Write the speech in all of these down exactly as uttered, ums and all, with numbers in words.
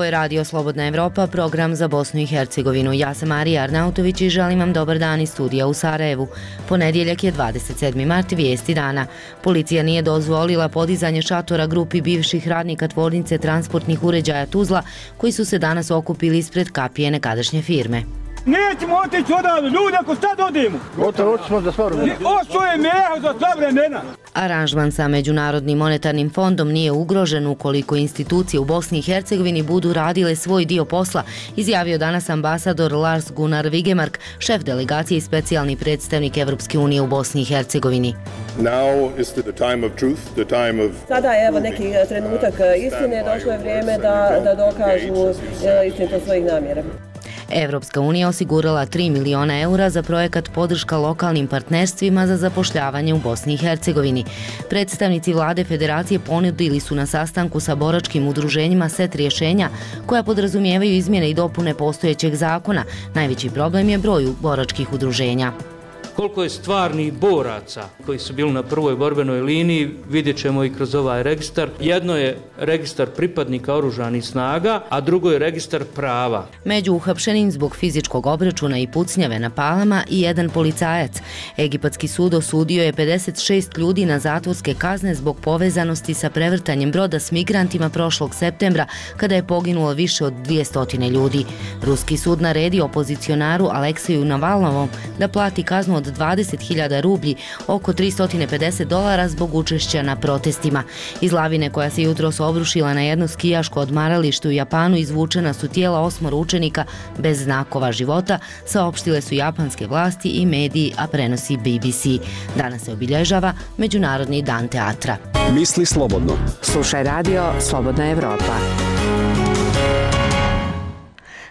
Ovo je Radio Slobodna Evropa, program za Bosnu i Hercegovinu. Ja sam Marija Arnautović i želim vam dobar dan iz studija u Sarajevu. Ponedjeljak je dvadeset sedmi mart, vijesti dana. Policija nije dozvolila podizanje šatora grupi bivših radnika tvornice transportnih uređaja Tuzla, koji su se danas okupili ispred kapije nekadašnje firme. Nećemo otići odavde, ljudi, ako sad odemo. Gotovo, otićemo za sva vremena. Ošto je meho za sva vremena. Aranžman sa Međunarodnim monetarnim fondom nije ugrožen ukoliko institucije u Bosni i Hercegovini budu radile svoj dio posla, izjavio danas ambasador Lars Gunnar Vigemark, šef delegacije i specijalni predstavnik Evropske unije u Bosni i Hercegovini. Sada je evo neki trenutak istine, došlo je vrijeme da, da dokažu istinitost svojih namjera. Evropska unija osigurala tri miliona eura za projekat podrška lokalnim partnerstvima za zapošljavanje u Bosni i Hercegovini. Predstavnici vlade federacije ponudili su na sastanku sa boračkim udruženjima set rješenja koja podrazumijevaju izmjene i dopune postojećeg zakona. Najveći problem je broj boračkih udruženja. Koliko je stvarnih boraca koji su bili na prvoj borbenoj liniji, vidjet ćemo i kroz ovaj registar. Jedno je registar pripadnika oružanih snaga, a drugo je registar prava. Među uhapšenim zbog fizičkog obračuna i pucnjave na Palama i jedan policajac. Egipatski sud osudio je pedeset šest ljudi na zatvorske kazne zbog povezanosti sa prevrtanjem broda s migrantima prošlog septembra, kada je poginulo više od dvjesto ljudi. Ruski sud naredio opozicionaru Alekseju Navalnovom da plati kaznu od dvadeset hiljada rublji, oko tristo pedeset dolara zbog učešća na protestima. Iz lavine koja se jutros obrušila na jedno skijaško odmaralište u Japanu izvučena su tijela osmoro učenika bez znakova života, saopštile su japanske vlasti i mediji, a prenosi B B C. Danas se obilježava Međunarodni dan teatra. Misli slobodno. Slušaj Radio Slobodna Evropa.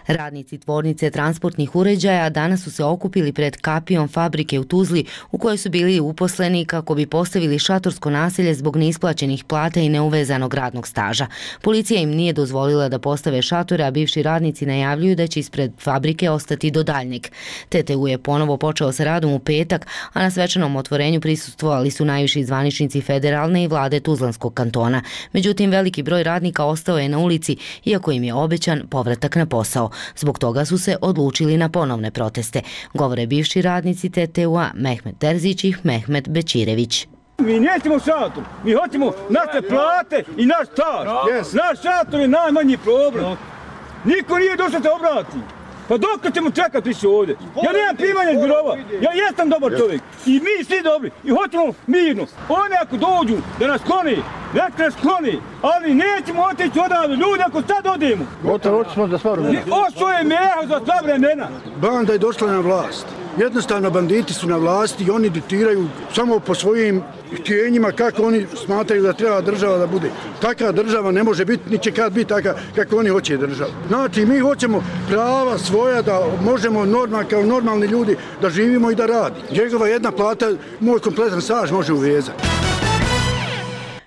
Radnici tvornice transportnih uređaja danas su se okupili pred kapijom fabrike u Tuzli u kojoj su bili uposleni kako bi postavili šatorsko naselje zbog neisplaćenih plata i neuvezanog radnog staža. Policija im nije dozvolila da postave šatore, a bivši radnici najavljuju da će ispred fabrike ostati do daljnjeg. T T U je ponovo počeo sa radom u petak, a na svečanom otvorenju prisustvovali su najviši zvaničnici federalne i vlade Tuzlanskog kantona. Međutim, veliki broj radnika ostao je na ulici, iako im je obećan povratak na posao. Zbog toga su se odlučili na ponovne proteste, govore bivši radnici T T U-a Mehmet Terzić i Mehmet Bećirević. Mi nećemo šator, mi hoćemo naše plate i naš staž. Yes. Naš šator je najmanji problem. Niko nije došao se obrati. Pa dok ćemo čekati više ovdje? Ja nemam primanja iz birova, ja jesam dobar čovjek i mi svi dobri i hoćemo mirno. Oni ako dođu da nas kloni, nek nas kloni, ali nećemo otići odavde, ljudi, ako sad odemo. Gotovo, otićemo za sva vremena. Ošto je meho za sva vremena. Banda je došla na vlast. Jednostavno banditi su na vlasti i oni diktiraju samo po svojim htjenjima kako oni smatraju da treba država da bude. Takva država ne može biti, ni će kad biti taka kako oni hoće država. Znači, mi hoćemo prava svoja da možemo normal, kao normalni ljudi da živimo i da radimo. Njegova jedna plata, moj kompletan staž može uvezati.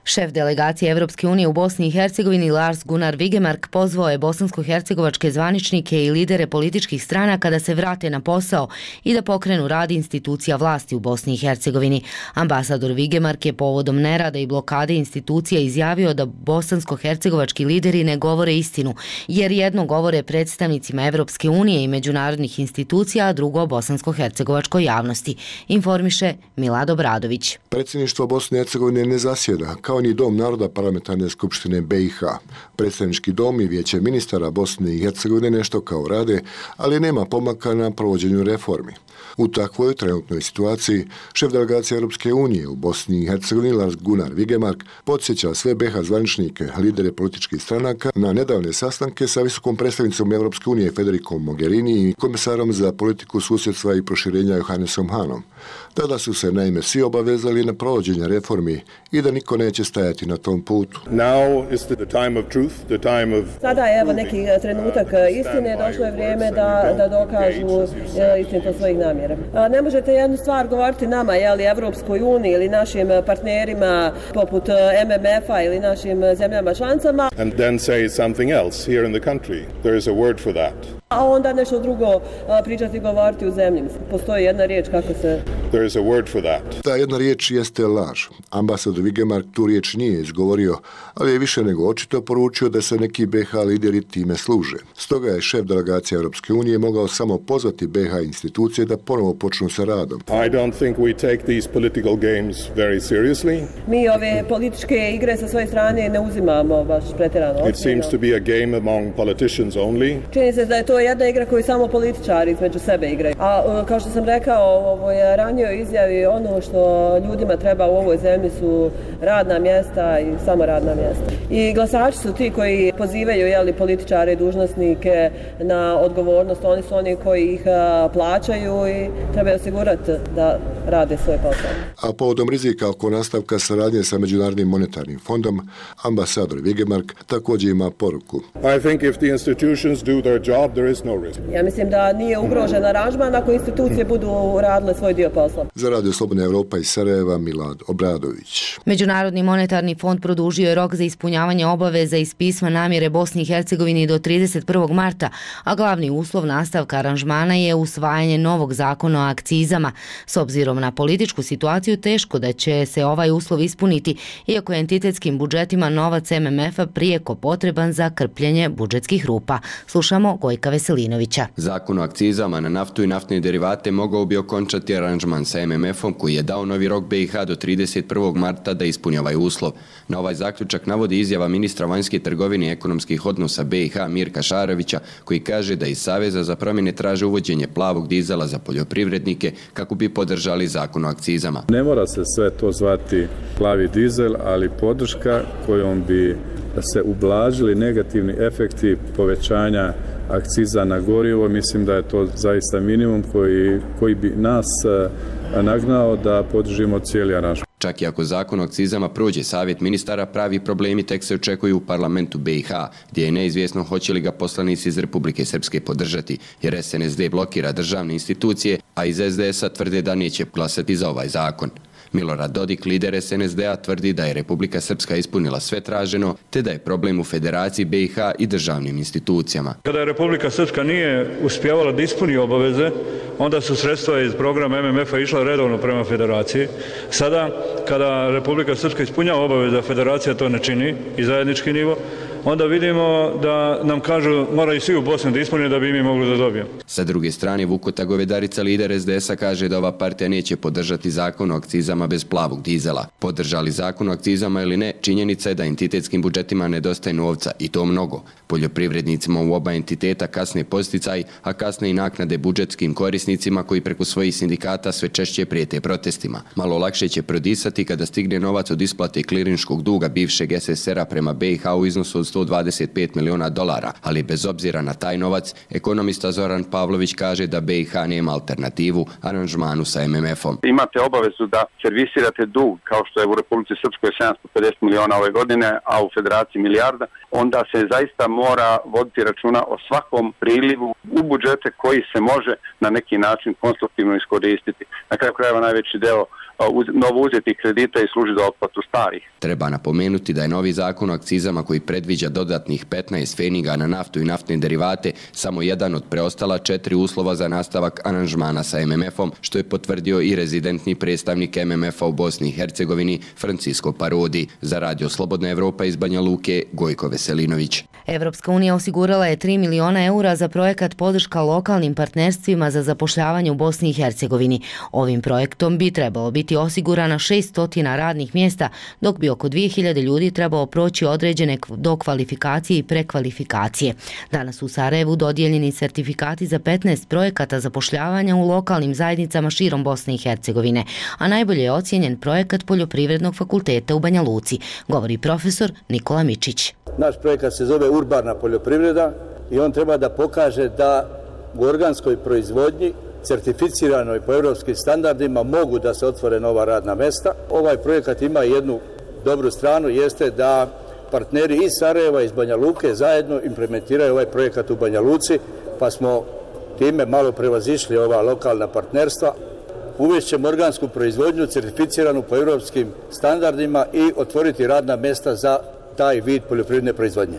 Šef delegacije Evropske unije u Bosni i Hercegovini Lars Gunnar Vigemark pozvao je bosansko-hercegovačke zvaničnike i lidere političkih stranaka da se vrate na posao i da pokrenu rad institucija vlasti u Bosni i Hercegovini. Ambasador Vigemark je povodom nerada i blokade institucija izjavio da bosansko-hercegovački lideri ne govore istinu, jer jedno govore predstavnicima Evropske unije i međunarodnih institucija, a drugo bosansko-hercegovačkoj javnosti, informiše Milad Obradović. Predsjedništvo Bosne i Hercegovine ne zasjeda, kao ni Dom naroda parlamentarne skupštine B i H. Predstavnički dom i vijeće ministara Bosne i Hercegovine nešto kao rade, ali nema pomaka na provođenju reformi. U takvoj trenutnoj situaciji šef delegacije Europske unije u Bosni i Hercegovini Lars Gunnar Vigemark podsjeća sve B i H zvaničnike, lidere političkih stranaka na nedavne sastanke sa visokom predstavnicom Europske unije Federikom Mogherini i komisarom za politiku susjedstva i proširenja Johannesom Hanom. Tada su se naime svi obavezali na provođenje reformi i da niko neće stajati na tom putu. Sada je evo neki trenutak istine, došlo je vrijeme da, da dokažu istinitost svojih namjera. Ne možete jednu stvar govoriti nama, jeli, Evropskoj uniji ili našim partnerima poput M M F-a ili našim zemljama članicama. And then say something else here in the country. There is a word for that. A onda nešto drugo pričati i govoriti u zemlji. Postoji jedna riječ kako se... There is a word for that. Ta jedna riječ jeste laž. Ambasador Wigemark tu riječ nije izgovorio, ali je više nego očito poručio da se neki B H lideri time služe. Stoga je šef delegacije Europske unije mogao samo pozvati B H institucije da ponovo počnu sa radom. I don't think we take these political games very seriously. Mi ove političke igre sa svoje strane ne uzimamo baš pretjerano ozbiljno. It seems to be a game among politicians only. Čini se da je to jedna igra koju samo političari između sebe igraju. A kao što sam rekao u ovoj ranijoj izjavi, ono što ljudima treba u ovoj zemlji su radna mjesta i samo radna mjesta. I glasači su ti koji pozivaju jeli, političare i dužnosnike na odgovornost. Oni su oni koji ih plaćaju i trebaju osigurati da rade svoj posao. A povodom rizika oko nastavka saradnje sa Međunarodnim monetarnim fondom, ambasador Wigemark također ima poruku. I think if the institutions do their job, there is no risk. Ja mislim da nije ugrožen aranžman ako institucije budu radile svoj dio posla. Za Radio Slobodna Evropa iz Sarajeva, Milad Obradović. Međunarodni monetarni fond produžio je rok za ispunjavanje obaveza iz pisma namjere Bosni i Hercegovini do trideset prvog marta, a glavni uslov nastavka aranžmana je usvajanje novog zakona o akcizama. S obzirom na političku situaciju teško da će se ovaj uslov ispuniti, iako je entitetskim budžetima novac M M F-a prijeko potreban za krpljenje budžetskih rupa. Slušamo Gojka Veselinovića. Zakon o akcizama na naftu i naftne derivate mogao bi okončati aranžman sa M M F-om koji je dao novi rok B i H do trideset prvog marta da ispuni ovaj uslov. Na ovaj zaključak navodi izjava ministra vanjske trgovine i ekonomskih odnosa B i H Mirka Šarovića, koji kaže da iz Saveza za promjene traže uvođenje plavog dizela za poljoprivrednike kako bi podržali zakon o akcizama. Ne mora se sve to zvati plavi dizel, ali podrška kojom bi se ublažili negativni efekti povećanja akciza na gorivo, mislim da je to zaista minimum koji, koji bi nas nagnao da podržimo cijeli aranžman. Čak i ako zakon o akcizama prođe savjet ministara, pravi problemi tek se očekuju u parlamentu B i H, gdje je neizvjesno hoće li ga poslanici iz Republike Srpske podržati, jer S N S D blokira državne institucije, a iz S D S-a tvrde da neće glasati za ovaj zakon. Milorad Dodik, lider S N S D-a, tvrdi da je Republika Srpska ispunila sve traženo, te da je problem u Federaciji B i H i državnim institucijama. Kada je Republika Srpska nije uspjevala da ispuni obaveze, onda su sredstva iz programa M M F-a išla redovno prema Federaciji. Sada, kada Republika Srpska ispunjava obaveze, a Federacija to ne čini i zajednički nivo, onda vidimo da nam kažu moraju svi u Bosni da ispune da bi mi mogli da dobijemo. Sa druge strane, Vukota Govedarica, lider S D S-a, kaže da ova partija neće podržati zakon o akcizama bez plavog dizela. Podržali zakon o akcizama ili ne, činjenica je da entitetskim budžetima nedostaje novca i to mnogo. Poljoprivrednicima u oba entiteta kasne posticaj, a kasne i naknade budžetskim korisnicima koji preko svojih sindikata sve češće prijete protestima. Malo lakše će prodisati kada stigne novac od isplate klirinškog duga bivšeg S S R-a prema B i H u iznosu od sto dvadeset pet miliona dolara, ali bez obzira na taj novac, ekonomista Zoran Pavlović kaže da B i H nema alternativu aranžmanu sa M M F-om. Imate obavezu da servisirate dug, kao što je u Republici Srpskoj sedamsto pedeset miliona ove godine, a u Federaciji milijarda, onda se zaista mora voditi računa o svakom prilivu u budžete koji se može na neki način konstruktivno iskoristiti. Na kraju krajeva najveći deo novo uzeti kredita i služi za otplatu starih. Treba napomenuti da je novi zakon o akcizama koji predviđa dodatnih petnaest feniga na naftu i naftne derivate samo jedan od preostala četiri uslova za nastavak aranžmana sa M M F-om, što je potvrdio i rezidentni predstavnik M M F-a u Bosni i Hercegovini Francisco Parodi. Za Radio Slobodna Evropa iz Banja Luke, Gojko Veselinović. Evropska unija osigurala je tri miliona eura za projekat podrška lokalnim partnerstvima za zapošljavanje u Bosni i Hercegovini. Ovim projektom bi trebalo biti osigurana šesnaest radnih mjesta, dok bi oko dvije hiljade ljudi trebalo proći određene dokvalifikacije i prekvalifikacije. Danas u Sarajevu dodijeljeni sertifikati za petnaest projekata zapošljavanja u lokalnim zajednicama širom Bosne i Hercegovine, a najbolje je ocijenjen projekat Poljoprivrednog fakulteta u Banja Luci, govori profesor Nikola Mičić. Naš projekat se zove Urbana poljoprivreda i on treba da pokaže da u organskoj proizvodnji certificiranoj po europskim standardima mogu da se otvore nova radna mesta. Ovaj projekat ima jednu dobru stranu, jeste da partneri iz Sarajeva, iz Banja Luke zajedno implementiraju ovaj projekat u Banja Luci, pa smo time malo prevazišli ova lokalna partnerstva. Uvešćemo organsku proizvodnju certificiranu po europskim standardima i otvoriti radna mesta za taj vid poljoprivredne proizvodnje.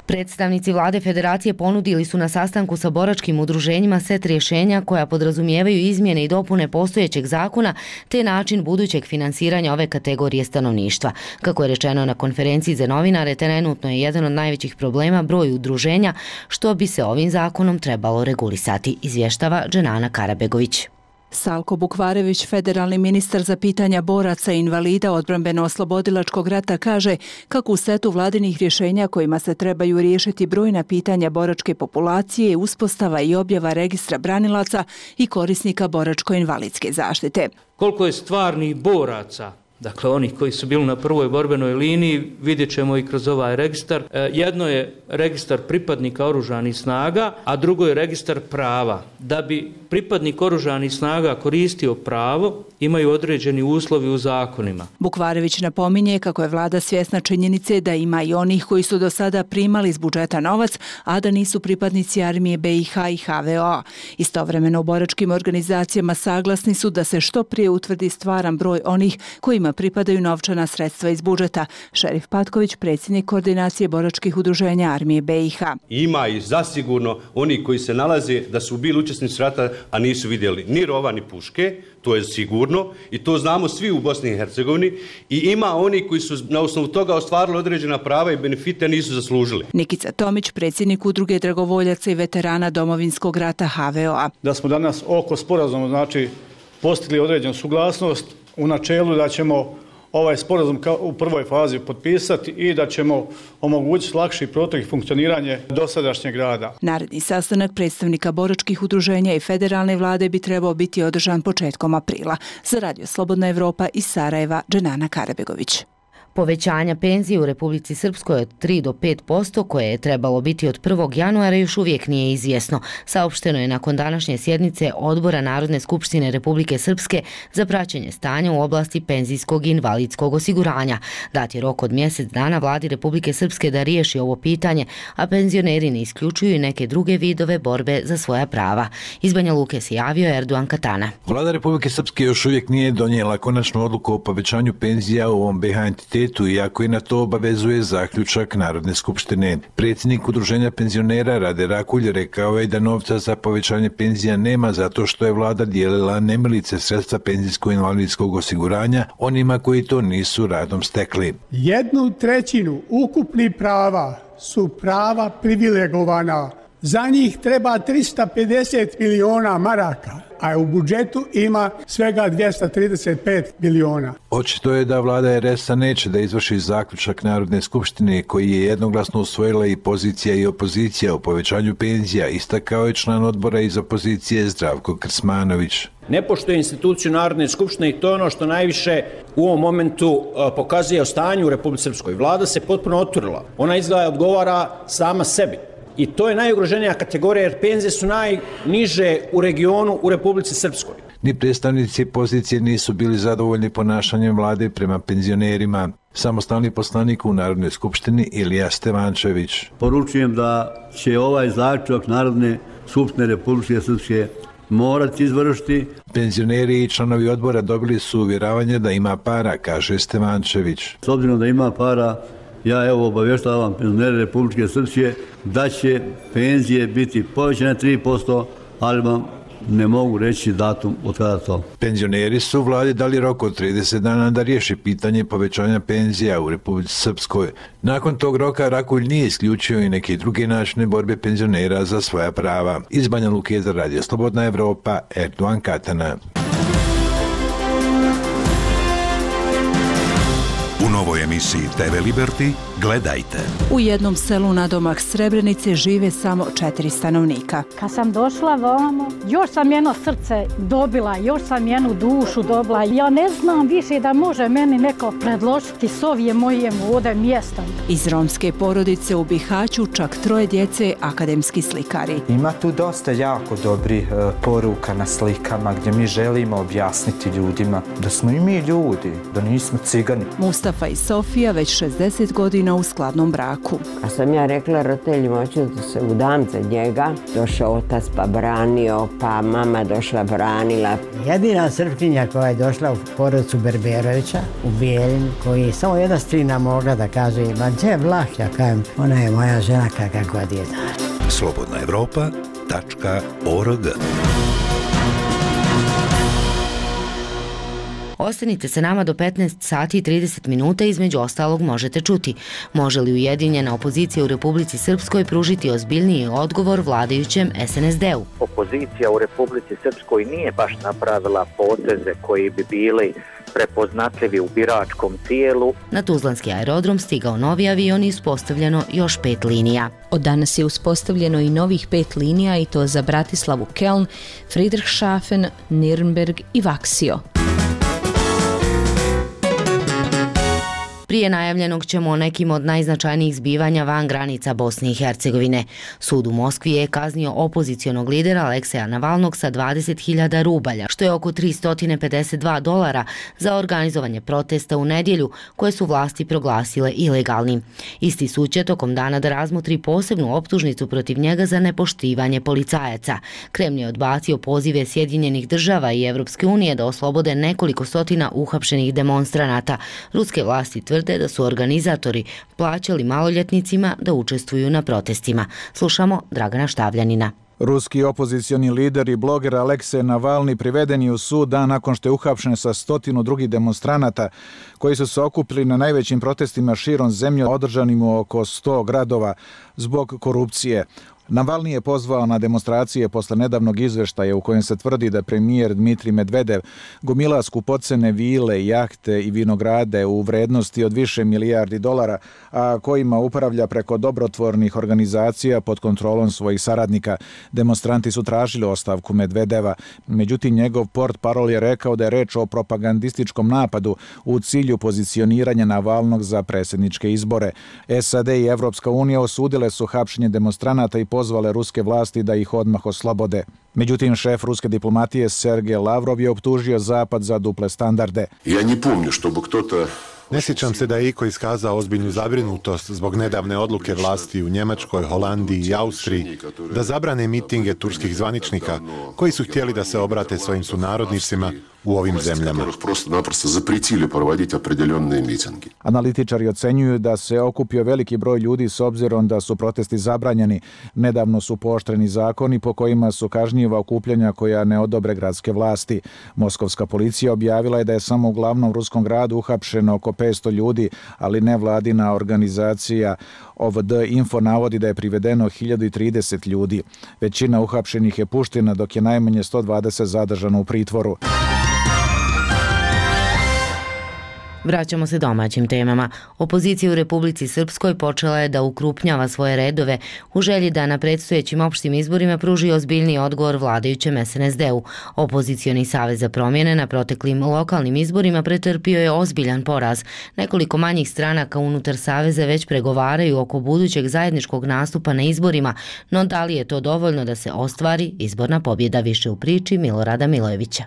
Predstavnici vlade federacije ponudili su na sastanku sa boračkim udruženjima set rješenja koja podrazumijevaju izmjene i dopune postojećeg zakona te način budućeg finansiranja ove kategorije stanovništva. Kako je rečeno na konferenciji za novinare, trenutno je jedan od najvećih problema broj udruženja, što bi se ovim zakonom trebalo regulisati, izvještava Dženana Karabegović. Salko Bukvarević, federalni ministar za pitanja boraca i invalida odbrambeno-oslobodilačkog rata, kaže kako u setu vladinih rješenja kojima se trebaju riješiti brojna pitanja boračke populacije je uspostava i objava registra branilaca i korisnika boračko-invalidske zaštite. Koliko je stvarnih boraca, dakle onih koji su bili na prvoj borbenoj liniji, vidjet ćemo i kroz ovaj registar. Jedno je registar pripadnika oružanih snaga, a drugo je registar prava. Da bi pripadnik oružanih snaga koristio pravo, imaju određeni uslovi u zakonima. Bukvarević napominje kako je vlada svjesna činjenice da ima i onih koji su do sada primali iz budžeta novac, a da nisu pripadnici armije B i H i H V O A. Istovremeno u boračkim organizacijama saglasni su da se što prije utvrdi stvaran broj onih kojima pripadaju novčana sredstva iz budžeta. Šerif Patković, predsjednik koordinacije boračkih udruženja armije B i H. Ima i zasigurno oni koji se nalaze da su bili učesnici rata, a nisu vidjeli ni rova ni puške, to je sigurno i to znamo svi u Bosni i Hercegovini, i ima oni koji su na osnovu toga ostvarili određena prava i benefite, nisu zaslužili. Nikica Tomić, predsjednik udruge dragovoljaca i veterana Domovinskog rata H V O A. Da smo danas oko sporazuma, znači, postigli određenu suglasnost u načelu da ćemo ovaj sporazum u prvoj fazi potpisati i da ćemo omogućiti lakši protok i funkcioniranje dosadašnjeg rada. Naredni sastanak predstavnika boračkih udruženja i federalne vlade bi trebao biti održan početkom aprila. Za Radio Slobodna Evropa iz Sarajeva, Dženana Karabegović. Povećanja penzije u Republici Srpskoj od tri do pet posto koje je trebalo biti od prvog januara još uvijek nije izvjesno. Saopšteno je nakon današnje sjednice Odbora Narodne skupštine Republike Srpske za praćenje stanja u oblasti penzijskog i invalidskog osiguranja. Dat je rok od mjesec dana vladi Republike Srpske da riješi ovo pitanje, a penzioneri ne isključuju i neke druge vidove borbe za svoja prava. Iz Banja Luke se javio Erdogan Katana. Vlada Republike Srpske još uvijek nije donijela konačnu odluku o povećanju penzija u ovom B H entitetu, iako i na to obavezuje zaključak Narodne skupštine. Predsjednik udruženja penzionera Rade Rakulj rekao je da novca za povećanje penzija nema zato što je vlada dijelila nemilice sredstva penzijsko-invalidskog osiguranja onima koji to nisu radom stekli. Jednu trećinu ukupnih prava su prava privilegovana. Za njih treba trista pedeset miliona maraka, a u budžetu ima svega dvjesto trideset pet miliona. Očito je da vlada R S-a neće da izvrši zaključak Narodne skupštine koji je jednoglasno usvojila i pozicija i opozicija o povećanju penzija, istakao je član odbora iz opozicije Zdravko Krsmanović. Ne poštuje instituciju Narodne skupštine i to je ono što najviše u ovom momentu pokazuje o stanju u Republici Srpskoj. Vlada se potpuno otvorila. Ona izgleda odgovara sama sebi. I to je najugroženija kategorija jer penzije su najniže u regionu u Republici Srpskoj. Ni predstavnici pozicije nisu bili zadovoljni ponašanjem vlade prema penzionerima. Samostalni poslanik u Narodnoj skupštini Ilija Stevančević. Poručujem da će ovaj zaključak Narodne skupštine Republike Srpske morati izvršiti. Penzioneri i članovi odbora dobili su uvjeravanje da ima para, kaže Stevančević. S obzirom da ima para, ja evo obavještavam penzionere Republike Srpske da će penzije biti povećane tri posto, ali vam ne mogu reći datum od kada to. Penzioneri su vladi dali rok od trideset dana da riješi pitanje povećanja penzija u Republici Srpskoj. Nakon tog roka Rakulj nije isključio i neke druge načine borbe penzionera za svoja prava. Iz Banja Luke za Radio Slobodna Evropa, Erdogan Katana. U novoj emisiji T V Liberty gledajte. U jednom selu nadomak Srebrenice žive samo četiri stanovnika. Kad sam došla vamo, još sam jedno srce dobila, još sam jednu dušu dobila. Ja ne znam više da može meni neko predložiti s ovije moje ovdje mjesta. Iz romske porodice u Bihaću čak troje djece akademski slikari. Ima tu dosta jako dobrih e, poruka na slikama gdje mi želimo objasniti ljudima da smo i mi ljudi, da nismo cigani. Mustafa Mustafa i Sofija već šezdeset godina u skladnom braku. A sam ja rekla roditeljima, hoću da se udam za njega. Došao otac pa branio, pa mama došla branila. Jedina Srpkinja koja je došla u porodicu Berberovića u Bijeljinu, koji je samo jedna strina mogla da kaže, ma gdje je Vlah, ja kajem, ona je moja žena kakva god je. slobodna evropa tačka org. Ostanite se nama do petnaest sati i trideset minuta, između ostalog možete čuti. Može li ujedinjena opozicija u Republici Srpskoj pružiti ozbiljniji odgovor vladajućem es en es de u? Opozicija u Republici Srpskoj nije baš napravila poteze koji bi bili prepoznatljivi u biračkom tijelu. Na Tuzlanski aerodrom stigao novi avion i uspostavljeno još pet linija. Od danas je uspostavljeno i novih pet linija, i to za Bratislavu Keln, Friedrichshafen, Nürnberg i Vaksio. Prije najavljenog ćemo o nekim od najznačajnijih zbivanja van granica Bosne i Hercegovine. Sud u Moskvi je kaznio opozicionog lidera Alekseja Navalnog sa dvadeset hiljada rubalja, što je oko tristo pedeset dva dolara, za organizovanje protesta u nedjelju koje su vlasti proglasile ilegalnim. Isti sud će tokom dana da razmotri posebnu optužnicu protiv njega za nepoštivanje policajaca. Kremlj je odbacio pozive Sjedinjenih država i Evropske unije da oslobode nekoliko stotina uhapšenih demonstranata. Ruske vlasti tvrde da su organizatori plaćali maloljetnicima da učestvuju na protestima. Slušamo Dragana Štavljanina. Ruski opozicioni lider i bloger Aleksej Navalni priveden je u sud dan nakon što je uhapšen sa stotinu drugih demonstranata koji su se okupili na najvećim protestima širom zemlje održanim u oko sto gradova zbog korupcije. Navalni je pozvao na demonstracije posle nedavnog izveštaja u kojem se tvrdi da premijer Dmitrij Medvedev gomila skupocene vile, jahte i vinograde u vrednosti od više milijardi dolara, a kojima upravlja preko dobrotvornih organizacija pod kontrolom svojih saradnika. Demonstranti su tražili ostavku Medvedeva, međutim njegov portparol je rekao da je reč o propagandističkom napadu u cilju pozicioniranja Navalnog za predsjedničke izbore. es a de i Evropska unija osudile su hapšenje demonstranata i pozvale ruske vlasti da ih odmah oslobode. Međutim, šef ruske diplomatije Sergej Lavrov je optužio Zapad za duple standarde. Ja ne pomnju što bi kto-to... Ne sjećam se da je iko iskazao ozbiljnu zabrinutost zbog nedavne odluke vlasti u Njemačkoj, Holandiji i Austriji da zabrane mitinge turskih zvaničnika koji su htjeli da se obrate svojim sunarodnicima u ovim zemljama. Analitičari ocenjuju da se okupio veliki broj ljudi s obzirom da su protesti zabranjeni. Nedavno su pooštreni zakoni po kojima su kažnjiva okupljanja koja ne odobre gradske vlasti. Moskovska policija objavila je da je samo u glavnom ruskom gradu uhapšeno oko petsto ljudi, ali nevladina organizacija O V D Info navodi da je privedeno hiljadu trideset ljudi. Većina uhapšenih je puštena, dok je najmanje sto dvadeset zadržano u pritvoru. Vraćamo se domaćim temama. Opozicija u Republici Srpskoj počela je da ukrupnjava svoje redove u želji da na predstojećim opštim izborima pruži ozbiljniji odgovor vladajućem es en es de u. Opozicioni savez za promjene na proteklim lokalnim izborima pretrpio je ozbiljan poraz. Nekoliko manjih stranaka unutar saveza već pregovaraju oko budućeg zajedničkog nastupa na izborima, no da li je to dovoljno da se ostvari izborna pobjeda? Više u priči Milorada Milojevića.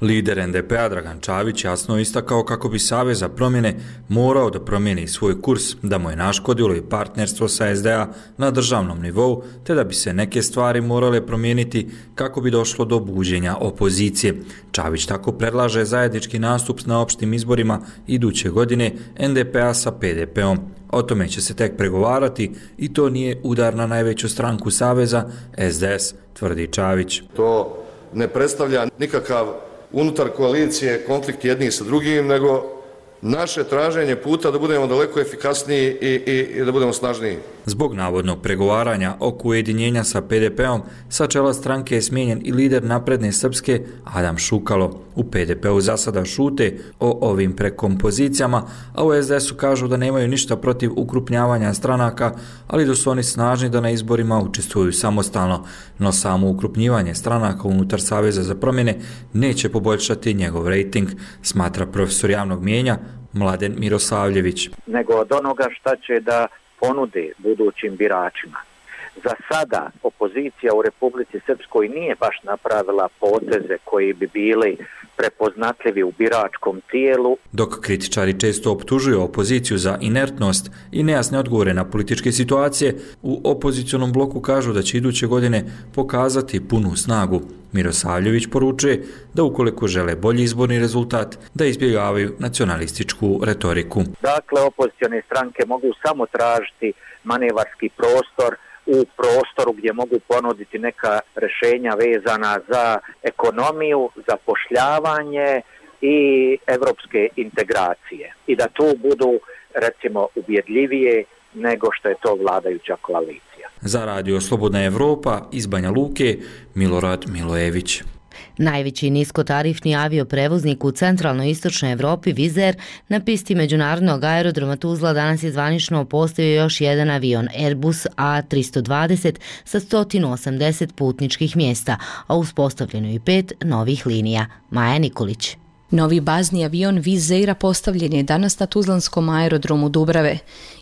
Lider en de pe a Dragan Čavić jasno istakao kako bi Savez za promjene morao da promijeni svoj kurs, da mu je naškodilo i partnerstvo sa es de a na državnom nivou, te da bi se neke stvari morale promijeniti kako bi došlo do buđenja opozicije. Čavić tako predlaže zajednički nastup na opštim izborima iduće godine en de pe a sa pe de pe om. O tome će se tek pregovarati i to nije udar na najveću stranku Saveza, es de es, tvrdi Čavić. To ne predstavlja nikakav unutar koalicije konflikt jednih sa drugim, nego naše traženje puta da budemo daleko efikasniji i, i, i da budemo snažniji. Zbog navodnog pregovaranja oko ujedinjenja sa pe de pe om, sa čela stranke je smijenjen i lider Napredne Srpske Adam Šukalo. U pe de pe u za sada šute o ovim prekompozicijama, a u es de esu kažu da nemaju ništa protiv ukrupnjavanja stranaka, ali da su oni snažni da na izborima učestvuju samostalno. No samo ukrupnjivanje stranaka unutar Saveza za promjene neće poboljšati njegov rejting, smatra profesor javnog mijenja Mladen Mirosavljević. Nego od onoga šta će da ponudi budućim biračima. za sada opozicija u Republici Srpskoj nije baš napravila poteze koji bi bili prepoznatljivi u biračkom tijelu. Dok kritičari često optužuju opoziciju za inertnost i nejasne odgovore na političke situacije, u opozicionom bloku kažu da će iduće godine pokazati punu snagu. Mirosavljević poručuje da ukoliko žele bolji izborni rezultat, da izbjegavaju nacionalističku retoriku. Dakle, opozicione stranke mogu samo tražiti manevarski prostor u prostoru gdje mogu ponuditi neka rješenja vezana za ekonomiju, zapošljavanje i evropske integracije. I da tu budu, recimo, ubjedljivije nego što je to vladajuća koalicija. Za radio Slobodna Evropa iz Banja Luke, Milorad Milojević. Najveći niskotarifni avioprevoznik u centralnoj istočnoj Evropi, Wizz Air, na pisti međunarodnog aerodroma Tuzla danas je zvanično postavio još jedan avion Airbus A tristo dvadeset sa sto osamdeset putničkih mjesta, a uspostavljeno i pet novih linija. Maja Nikolić. Novi bazni avion Wizz Aira postavljen je danas na Tuzlanskom aerodromu Dubrave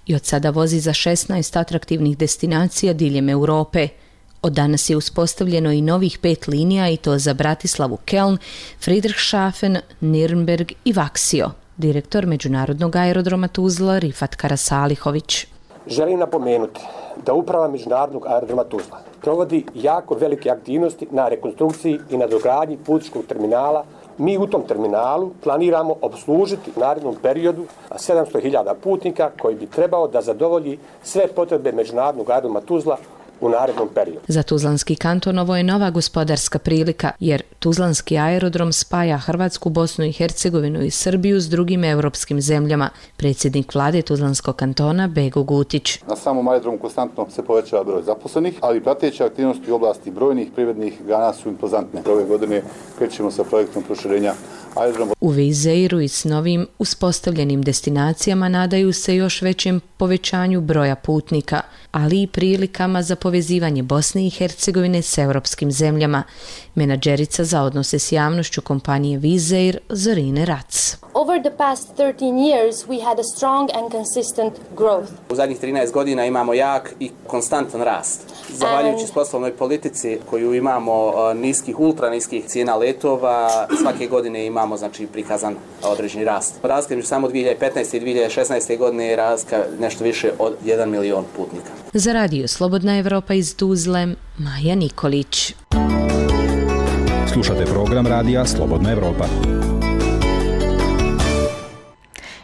i od sada vozi za šesnaest atraktivnih destinacija diljem Europe. Od danas je uspostavljeno i novih pet linija i to za Bratislavu Keln, Friedrichshafen, Nürnberg i Vaksio. Direktor Međunarodnog aerodroma Tuzla Rifat Karasalihović. Želim napomenuti da uprava Međunarodnog aerodroma Tuzla provodi jako velike aktivnosti na rekonstrukciji i na dogradnji putničkog terminala. Mi u tom terminalu planiramo obslužiti u narednom periodu sedamsto hiljada putnika koji bi trebao da zadovolji sve potrebe Međunarodnog aerodroma Tuzla u narednom periodu. Za Tuzlanski kanton ovo je nova gospodarska prilika, jer Tuzlanski aerodrom spaja Hrvatsku, Bosnu i Hercegovinu i Srbiju s drugim europskim zemljama. Predsjednik vlade Tuzlanskog kantona Bego Gutić. Na samom aerodromu konstantno se povećava broj zaposlenih, ali prateće aktivnosti u oblasti brojnih privrednih grana su impozantne. Ove godine krećemo sa projektom proširenja aerodroma. U Wizz Airu i s novim uspostavljenim destinacijama nadaju se još većem povećanju broja putnika, ali i prilikama za povezivanje Bosne i Hercegovine s europskim zemljama. Menadžerica za odnose s javnošću kompanije Wizz Air Zorine Rac. Over the past thirteen years we had a strong and consistent growth. U zadnjih trinaest godina imamo jak i konstantan rast. Zahvaljujući poslovnoj politici koju imamo niskih, ultra niskih cijena letova, svake godine imamo znači prikazan određeni rast. Razlika između samo dvije hiljade petnaeste i dvije hiljade šesnaeste godine je razlika nešto više od jedan milion putnika. Za radio Slobodna Evropa iz Tuzle, Maja Nikolić. Slušate program radija Slobodna Evropa.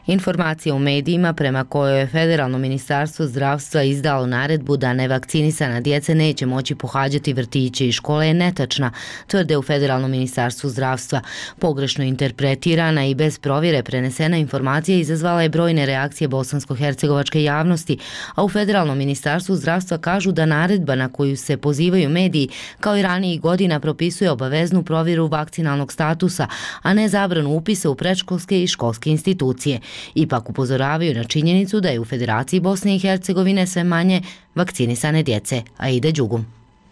Informacija u medijima prema kojoj je Federalno ministarstvo zdravstva izdalo naredbu da nevakcinisana djeca neće moći pohađati vrtiće i škole je netačna, tvrde u Federalnom ministarstvu zdravstva. Pogrešno interpretirana i bez provjere prenesena informacija izazvala je brojne reakcije bosansko-hercegovačke javnosti, a u Federalnom ministarstvu zdravstva kažu da naredba na koju se pozivaju mediji kao i ranijih godina propisuje obaveznu provjeru vakcinalnog statusa, a ne zabranu upisa u predškolske i školske institucije. Ipak upozoravaju na činjenicu da je u Federaciji Bosne i Hercegovine sve manje vakcinisane djece. Aida Đugum.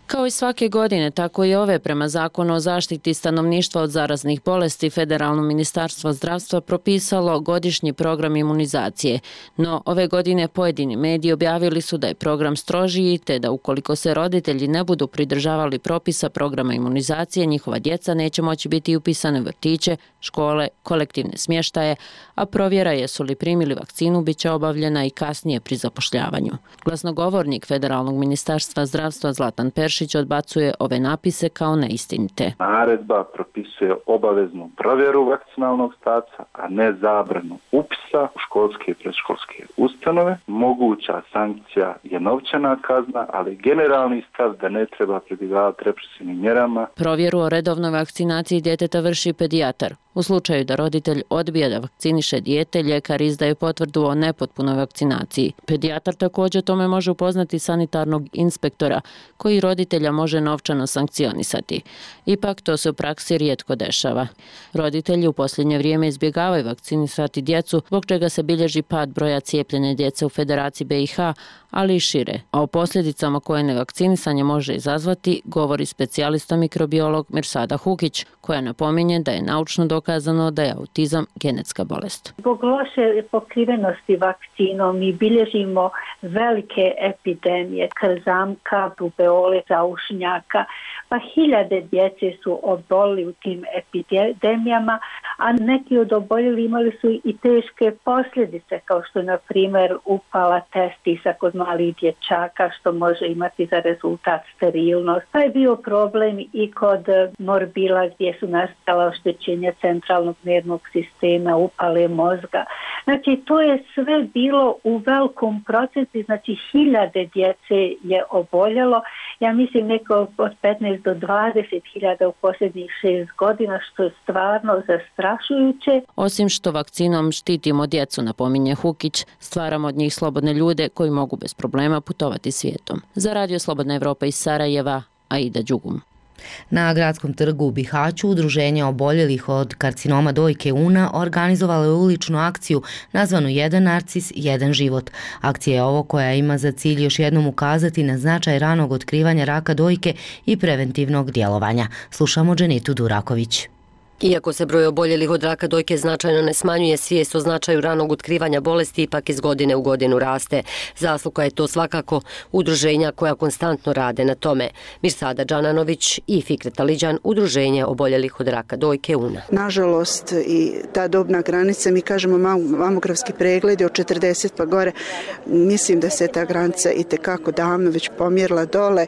Kao i svake godine, tako i ove prema Zakonu o zaštiti stanovništva od zaraznih bolesti, Federalno ministarstvo zdravstva propisalo godišnji program imunizacije. No, ove godine pojedini mediji objavili su da je program strožiji, te da ukoliko se roditelji ne budu pridržavali propisa programa imunizacije, njihova djeca neće moći biti upisane u vrtiće, škole, kolektivne smještaje, a provjera jesu li primili vakcinu bit će obavljena i kasnije pri zapošljavanju. Glasnogovornik Federalnog ministarstva zdravstva Zlatan Peršić odbacuje ove napise kao neistinite. Naredba propisuje obaveznu provjeru vakcinalnog statusa, a ne zabranu upisa u školske i predškolske ustanove. Moguća sankcija je novčana kazna, ali generalni stav da ne treba pribjegavati represivnim mjerama. Provjeru o redovnoj vakcinaciji djeteta vrši pedijatar. U slučaju da roditelj odbije da vakciniše dijete, ljekar izdaje potvrdu o nepotpunoj vakcinaciji. Pedijatar također tome može upoznati sanitarnog inspektora, koji roditelja može novčano sankcionisati. Ipak to se u praksi rijetko dešava. Roditelji u posljednje vrijeme izbjegavaju vakcinisati djecu, zbog čega se bilježi pad broja cijepljene djece u Federaciji B i H, ali i šire. A o posljedicama koje nevakcinisanje može izazvati, govori specijalista mikrobiolog Mirsada Hukić, koja napominje da je naučno dokazano dokazano da je autizam genetska bolest. Zbog loše pokrivenosti vakcinom mi bilježimo velike epidemije krzamka, rubeole, zaušnjaka, pa hiljade djece su obolili u tim epidemijama, a neki od oboljeli imali su i teške posljedice, kao što je na primjer upala testisa kod malih dječaka, što može imati za rezultat sterilnost. Pa je bio problem i kod morbila gdje su nastala oštećenja centralnog nervnog sistema, upale mozga. Znači, to je sve bilo u velikom procentu, znači hiljade djece je oboljelo. Ja mislim neko od petnaest do dvadeset hiljada u posljednjih šest godina, što je stvarno zastrašujuće. Osim što vakcinom štitimo djecu, napominje Hukić, stvaramo od njih slobodne ljude koji mogu bez problema putovati svijetom. Za Radio Slobodna Evropa iz Sarajeva, Aida Đugum. Na Gradskom trgu u Bihaću Udruženje oboljelih od karcinoma dojke Una organizovalo je uličnu akciju nazvanu Jedan narcis, jedan život. Akcija je ovo koja ima za cilj još jednom ukazati na značaj ranog otkrivanja raka dojke i preventivnog djelovanja. Slušamo Dženitu Duraković. Iako se broj oboljelih od raka dojke značajno ne smanjuje, svijest o značaju ranog otkrivanja bolesti ipak iz godine u godinu raste. Zasluga je to svakako udruženja koja konstantno rade na tome. Mirsada Džananović i Fikret Aliđan, Udruženje oboljelih od raka dojke Una. Nažalost, i ta dobna granica, mi kažemo mamografski pregledi od četrdeset pa gore, mislim da se ta granica i tekako davno već pomjerila dole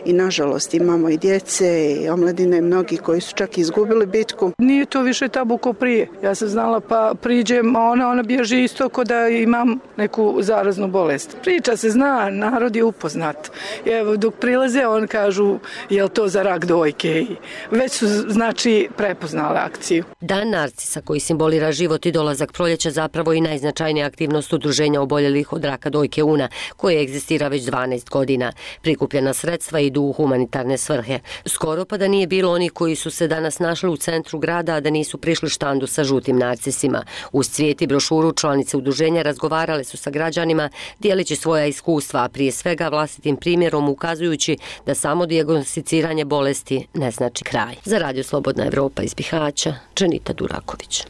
i nažalost imamo i djece i omladine, mnogi koji su čak izgubili bitku. Nije to više tabu ko prije. Ja sam znala pa priđem, a ona, ona bježi isto ko da imam neku zaraznu bolest. Priča se zna, narod je upoznat. Evo, dok prilaze, on kažu, je li to za rak dojke? Već su, znači, prepoznale akciju. Dan narcisa koji simbolira život i dolazak proljeća zapravo i najznačajnija aktivnost Udruženja oboljelih od raka dojke Una, koje egzistira već dvanaest godina. Prikupljena sredstva idu u humanitarne svrhe. Skoro pa da nije bilo onih koji su se danas našli u centru grada, a da nisu prišli štandu sa žutim narcisima. Uz cvijet i brošuru članice udruženja razgovarale su sa građanima, dijeleći svoja iskustva, a prije svega vlastitim primjerom ukazujući da samo dijagnosticiranje bolesti ne znači kraj. Za Radio Slobodna Evropa iz Bihaća, Dženita Duraković.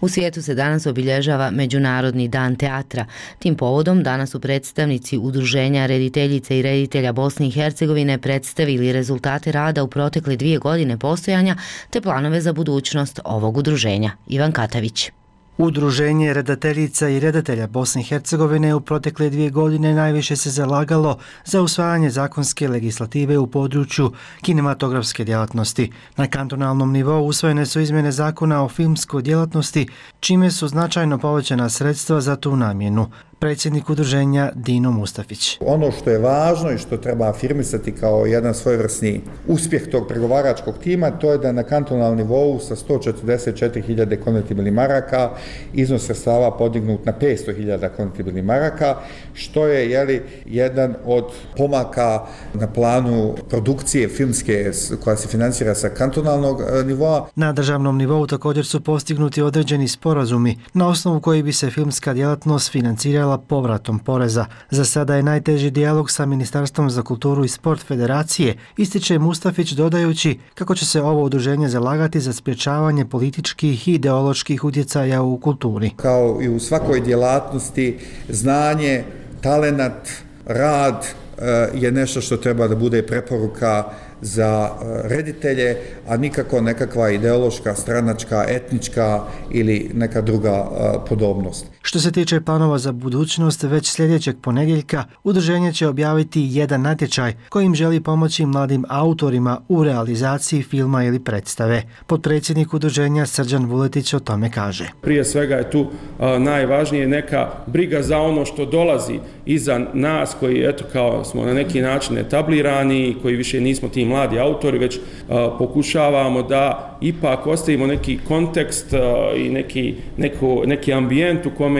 U svijetu se danas obilježava Međunarodni dan teatra. Tim povodom danas su predstavnici Udruženja rediteljice i reditelja Bosne i Hercegovine predstavili rezultate rada u protekle dvije godine postojanja te planove za budućnost ovog udruženja. Ivan Katavić. Udruženje redateljica i redatelja Bosne i Hercegovine u protekle dvije godine najviše se zalagalo za usvajanje zakonske legislative u području kinematografske djelatnosti. Na kantonalnom nivou usvojene su izmjene zakona o filmskoj djelatnosti, čime su značajno povećana sredstva za tu namjenu. Predsjednik udruženja Dino Mustafić. Ono što je važno i što treba afirmisati kao jedan svojevrsni uspjeh tog pregovaračkog tima, to je da na kantonalnom nivou sa sto četrdeset četiri hiljade konvertibilnih maraka iznos sredstava podignut na petsto hiljada konvertibilnih maraka, što je jeli, jedan od pomaka na planu produkcije filmske koja se financira sa kantonalnog nivoa. Na državnom nivou također su postignuti određeni sporazumi na osnovu koji bi se filmska djelatnost financirala povratom poreza. Za sada je najteži dijalog sa Ministarstvom za kulturu i sport Federacije, ističe Mustafić dodajući kako će se ovo udruženje zalagati za sprječavanje političkih i ideoloških utjecaja u kulturi. Kao i u svakoj djelatnosti, znanje, talenat, rad je nešto što treba da bude preporuka za reditelje, a nikako nekakva ideološka, stranačka, etnička ili neka druga podobnost. Što se tiče planova za budućnost, već sljedećeg ponedjeljka udruženje će objaviti jedan natječaj kojim želi pomoći mladim autorima u realizaciji filma ili predstave. Potpredsjednik udruženja Srđan Vuletić o tome kaže. Prije svega je tu a, najvažnije neka briga za ono što dolazi iza nas koji eto kao smo na neki način etablirani, koji više nismo ti mladi autori, već a, pokušavamo da ipak ostavimo neki kontekst a, i neki, neko, neki ambijent u kome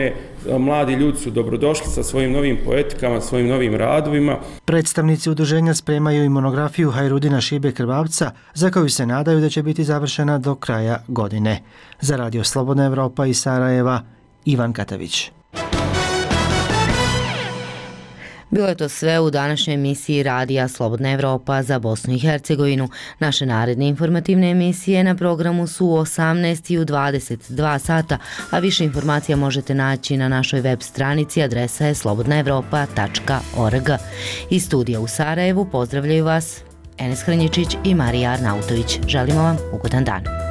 mladi ljudi su dobrodošli sa svojim novim poetikama, svojim novim radovima. Predstavnici udruženja spremaju i monografiju Hajrudina Šibe Krvavca, za koju se nadaju da će biti završena do kraja godine. Za Radio Slobodna Evropa iz Sarajeva, Ivan Katavić. Bilo je to sve u današnjoj emisiji Radija Slobodna Evropa za Bosnu i Hercegovinu. Naše naredne informativne emisije na programu su u osamnaest i u dvadeset dva sata, a više informacija možete naći na našoj web stranici, adresa je slobodna evropa tačka org. Iz studija u Sarajevu pozdravljaju vas Enes Hrnjičić i Marija Arnautović. Želimo vam ugodan dan.